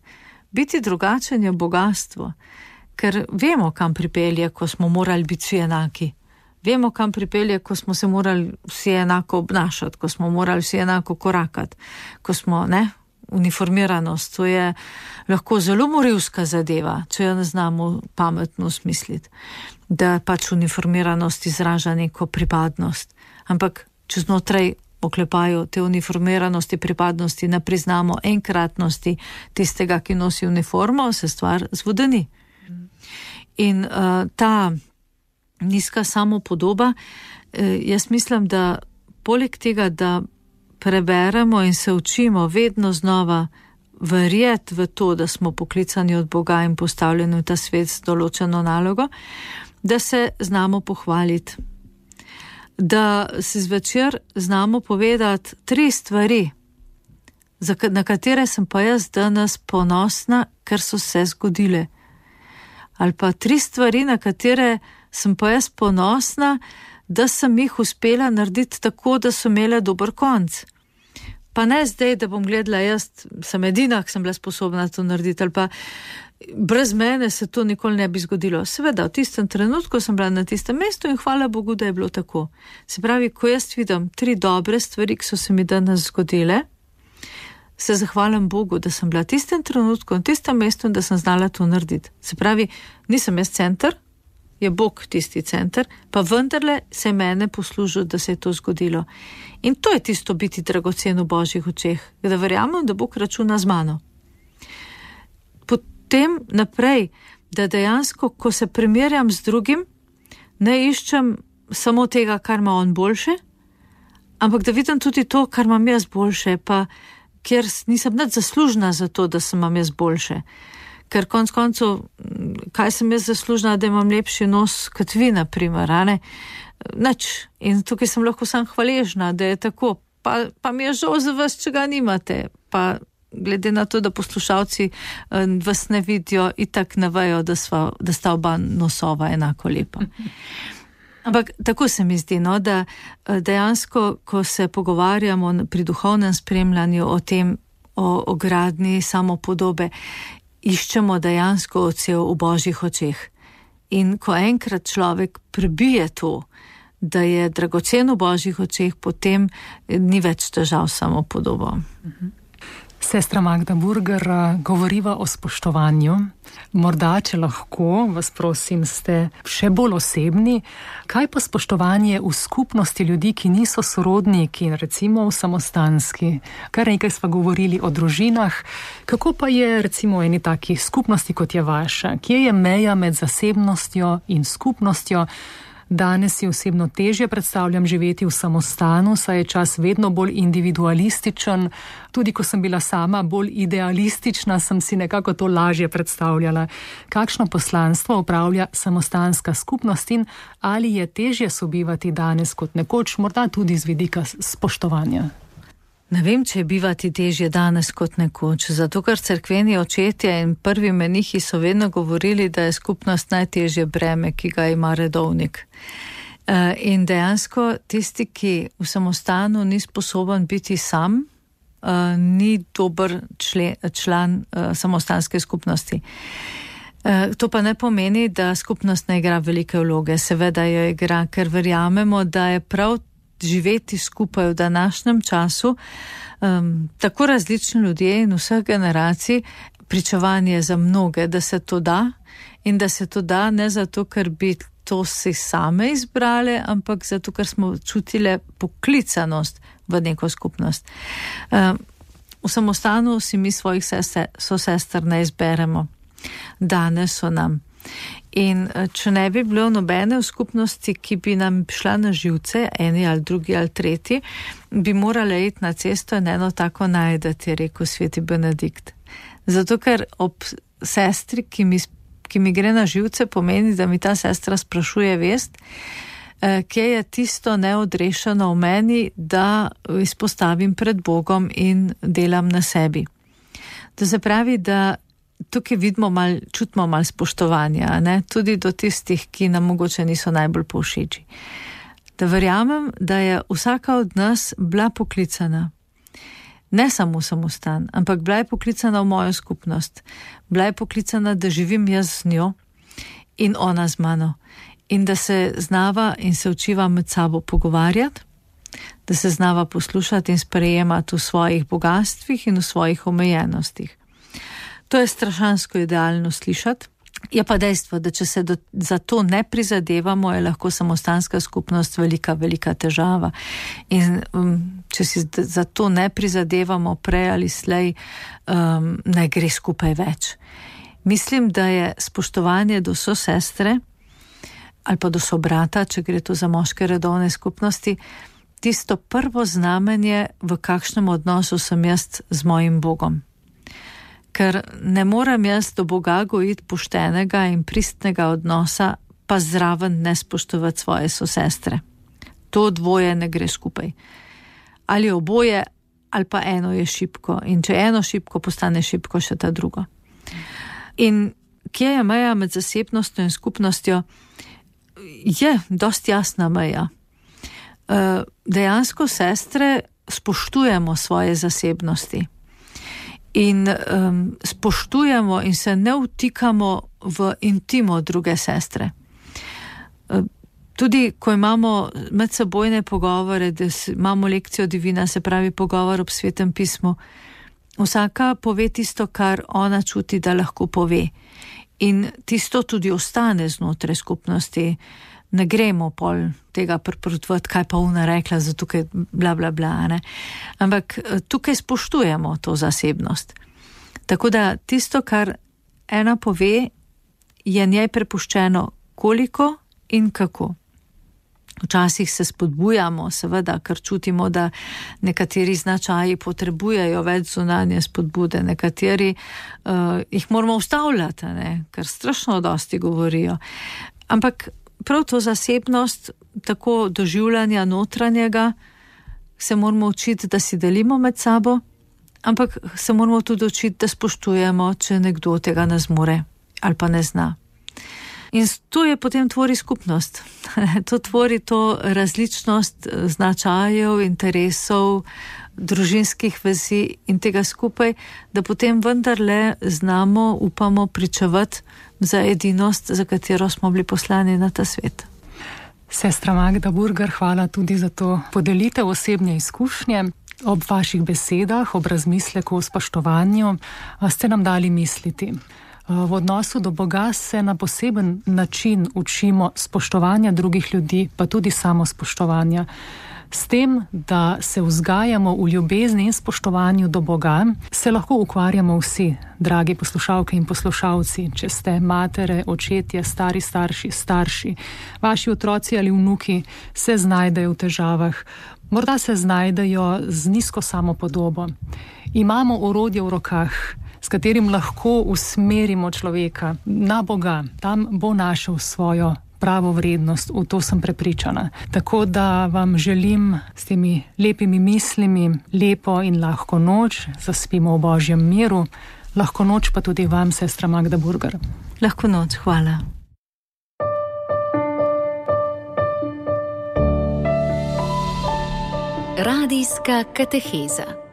Biti drugačen je bogastvo, ker vemo, kam pripelje, ko smo morali biti vsi enaki. Vemo, kam pripelje, ko smo se morali vsi enako obnašati, ko smo morali vsi enako korakati, ko smo, ne, uniformiranost, to je lahko zelo morilska zadeva, če jo ne znamo pametno smisliti, da pač uniformiranost izraža neko pripadnost. Ampak če znotraj oklepajo te uniformiranosti, pripadnosti, ne priznamo enkratnosti tistega, ki nosi uniformo, se stvar zvodeni. In uh, ta nizka samopodoba, eh, jaz mislim, da poleg tega, da preberemo in se učimo vedno znova verjeti v to, da smo poklicani od Boga in postavljeni v ta svet z določeno nalogo, da se znamo pohvaliti. Da se zvečer znamo povedati tri stvari, na katere sem pa jaz danes ponosna, ker so se zgodile. Ali pa tri stvari, na katere sem pa jaz ponosna, da sem jih uspela narediti tako, da so imele dober konc. Pa ne zdaj, da bom gledala, jaz sem edina, ki sem bila sposobna to narediti, ali pa brez mene se to nikoli ne bi zgodilo. Seveda, v tistem trenutku sem bila na tistem mestu in hvala Bogu, da je bilo tako. Se pravi, ko jaz vidim tri dobre stvari, ki so se mi danes zgodile, se zahvalim Bogu, da sem bila v tistem trenutku in tistem mestu in da sem znala to narediti. Se pravi, nisem jaz center, je Bog tisti center, pa vendarle se je mene poslužil, da se je to zgodilo. In to je tisto biti dragocen v Božjih očeh, da verjamem, da Bog računa z mano. Potem naprej, da dejansko, ko se primerjam z drugim, ne iščem samo tega, kar ima on boljše, ampak da vidim tudi to, kar imam jaz boljše, pa ker nisem nič zaslužna za to, da sem imam jaz boljše. Ker konc koncev, kaj sem jaz zaslužna, da imam lepši nos kot vi, na primer, a ne? Nič. In tukaj sem lahko sam hvaležna, da je tako. Pa, pa mi je žal za vas, če ga nimate. Pa glede na to, da poslušalci vas ne vidijo, itak ne vejo, da, sva, da sta oba nosova enako lepa. Ampak tako se mi zdi, no, da dejansko, ko se pogovarjamo pri duhovnem spremljanju o tem, o, o gradnji samopodobe, iščemo dejansko odsev v Božjih očeh. In ko enkrat človek prebije to, da je dragocen v Božjih očeh, potem ni več težav samopodobo. Sestra Magda Burger, govoriva o spoštovanju. Morda, če lahko, vas prosim, ste še bolj osebni. Kaj pa spoštovanje v skupnosti ljudi, ki niso sorodniki, recimo v samostanski? Kar nekaj sva govorili o družinah. Kako pa je recimo eni taki skupnosti, kot je vaša? Kje je meja med zasebnostjo in skupnostjo? Danes si osebno težje predstavljam živeti v samostanu, saj je čas vedno bolj individualističen. Tudi ko sem bila sama bolj idealistična, sem si nekako to lažje predstavljala. Kakšno poslanstvo opravlja samostanska skupnost in ali je težje sobivati danes kot nekoč, morda tudi z vidika spoštovanja? Ne vem, če je bivati težje danes kot nekoč, zato ker cerkveni očetje in prvi menihi so vedno govorili, da je skupnost najtežje breme, ki ga ima redovnik. In dejansko tisti, ki v samostanu ni sposoben biti sam, ni dober člen, član samostanske skupnosti. To pa ne pomeni, da skupnost ne igra velike vloge. Seveda jo igra, ker verjamemo, da je prav živeti skupaj v današnjem času, um, tako različni ljudje in vseh generacij, pričevanje za mnoge, da se to da in da se to da ne zato, ker bi to si same izbrale, ampak zato, ker smo čutile poklicanost v neko skupnost. Um, v samostanu si mi svojih sester, sosester ne izberemo. Danes so nam. In če ne bi bilo nobene v skupnosti, ki bi nam šla na živce, eni ali drugi ali tretji, bi morali iti na cesto in eno tako najdati, je rekel sveti Benedikt. Zato, ker ob sestri, ki mi, ki mi gre na živce, pomeni, da mi ta sestra sprašuje vest, kje je tisto neodrešeno v meni, da izpostavim pred Bogom in delam na sebi. To se pravi, da tukaj vidimo mal, čutimo malo spoštovanja, ne? Tudi do tistih, ki nam mogoče niso najbolj povšeči. Da verjamem, da je vsaka od nas bila poklicana. Ne samo samostan, ampak bila je poklicana v mojo skupnost. Bila je poklicana, da živim jaz z njo in ona z mano. In da se znava in se učiva med sabo pogovarjati, da se znava poslušati in sprejemati v svojih bogatstvih in v svojih omejenostih. To je strašansko idealno slišati. Je pa dejstvo, da če se do, za to ne prizadevamo, je lahko samostanska skupnost velika, velika težava. In um, če si za to ne prizadevamo prej ali slej, um, ne gre skupaj več. Mislim, da je spoštovanje do sosestre ali pa do sobrata, če gre to za moške redovne skupnosti, tisto prvo znamenje, v kakšnem odnosu sem jaz z mojim Bogom. Ker ne morem jaz do Boga gojiti poštenega in pristnega odnosa, pa zraven ne spoštovati svoje sosestre. To dvoje ne gre skupaj. Ali oboje, ali pa eno je šibko. In če eno šibko, postane šibko še ta drugo. In kje je meja med zasebnostjo in skupnostjo? Je dosti jasna meja. Dejansko sestre spoštujemo svoje zasebnosti. In um, spoštujemo in se ne vtikamo v intimo druge sestre. Tudi ko imamo medsebojne pogovore, da imamo lekcijo divina, se pravi pogovor ob svetem pismu, vsaka pove tisto, kar ona čuti, da lahko pove. In tisto tudi ostane znotraj skupnosti. Ne gremo pol tega priporočati, kaj pa ona rekla, zato tukaj bla bla bla, ne. Ampak tukaj spoštujemo to zasebnost. Tako da tisto, kar ena pove, je njej prepuščeno koliko in kako. Včasih se spodbujamo, seveda, ker čutimo, da nekateri značaji potrebujejo več zunanje spodbude, nekateri uh, jih moramo ustavljati, ne, ker strašno dosti govorijo. Ampak prav to zasebnost, tako doživljanja notranjega, se moramo učiti, da si delimo med sabo, ampak se moramo tudi učiti, da spoštujemo, če nekdo tega ne zmore ali pa ne zna. In to je potem tvori skupnost. To tvori to različnost značajev, interesov, družinskih vezi in tega skupaj, da potem vendarle znamo, upamo pričevati za edinost, za katero smo bili poslani na ta svet. Sestra Magda Burger, hvala tudi za to podelitev osebne izkušnje. Ob vaših besedah, ob razmisleku o spoštovanju ste nam dali misliti. V odnosu do Boga se na poseben način učimo spoštovanja drugih ljudi, pa tudi samo spoštovanja. S tem, da se vzgajamo v ljubezni in spoštovanju do Boga, se lahko ukvarjamo vsi, dragi poslušalke in poslušalci, če ste matere, očetje, stari starši, starši, vaši otroci ali vnuki se znajdejo v težavah, morda se znajdejo z nizko samopodobo. Imamo orodje v rokah, s katerim lahko usmerimo človeka na Boga. Tam bo našel svojo pravo vrednost, v to sem prepričana. Tako da vam želim s temi lepimi mislimi lepo in lahko noč, zaspimo v Božjem miru. Lahko noč pa tudi vam, sestra Magda Burger. Lahko noč, hvala. Radijska kateheza.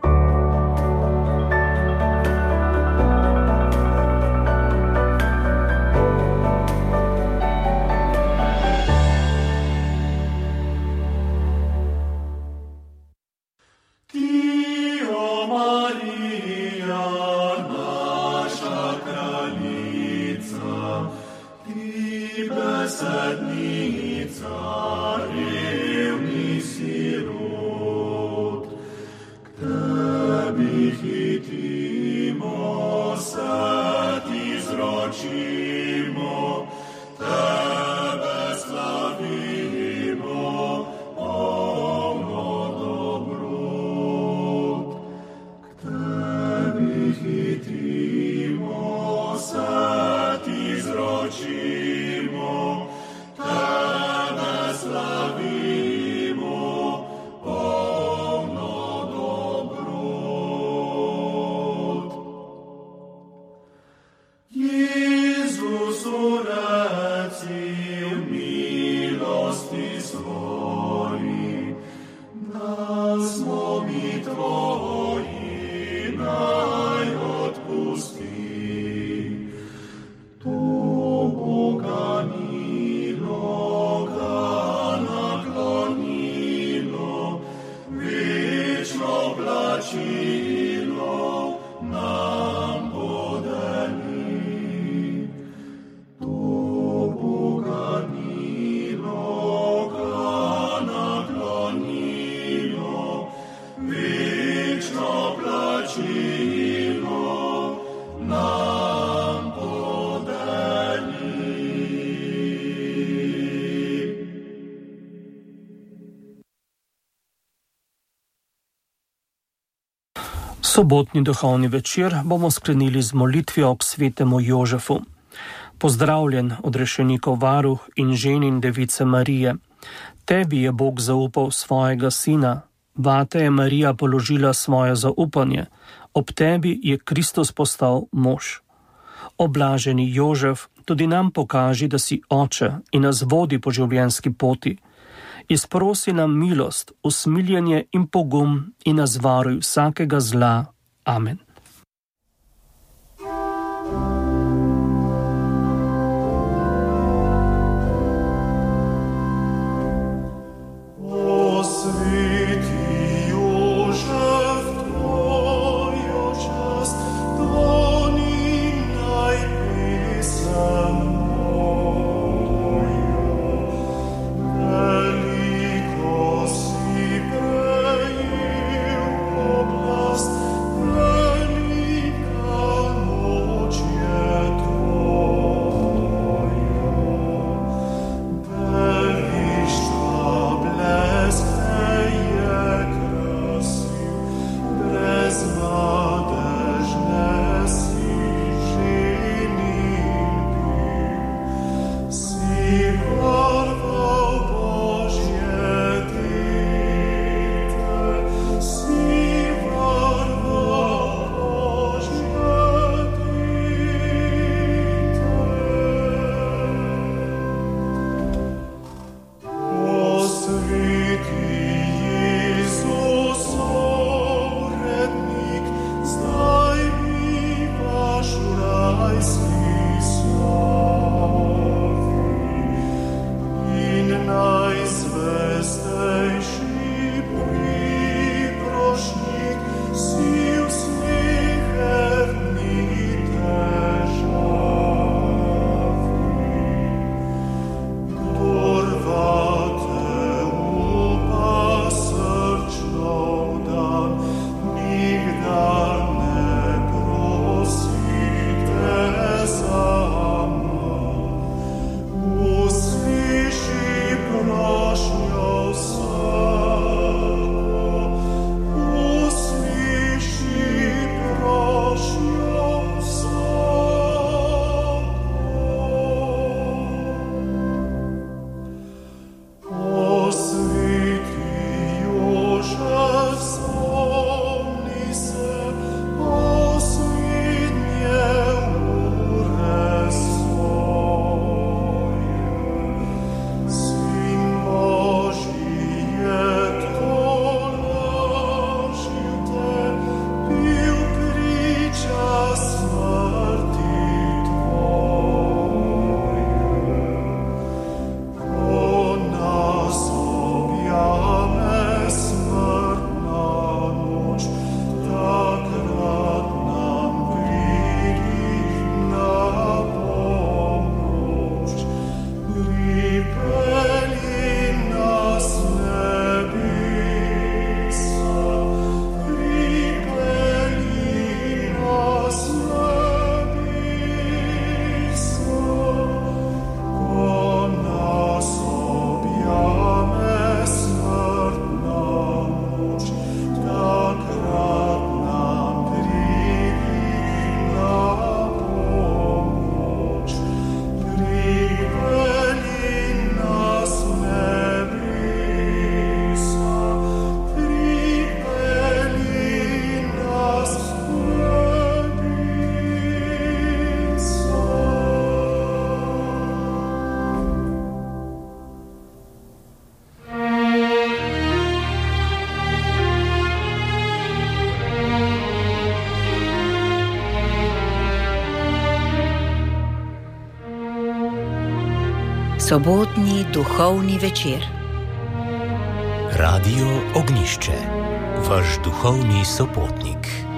Svoji, da smo mi tvoji. Sobotni duhovni večer bomo sklenili z molitvijo k svetemu Jožefu. Pozdravljen, odrešenikov varuh in ženin device Marije. Tebi je Bog zaupal svojega sina, vate je Marija položila svoje zaupanje, ob tebi je Kristus postal mož. Oblaženi Jožef, tudi nam pokaži, da si oče in nas vodi po življenjski poti. Izprosi nam milost, usmiljenje in pogum in nas varuj vsakega zla. Amen. Sobotni duhovni večer. Radio Ognjišče, vaš duhovni sopotnik.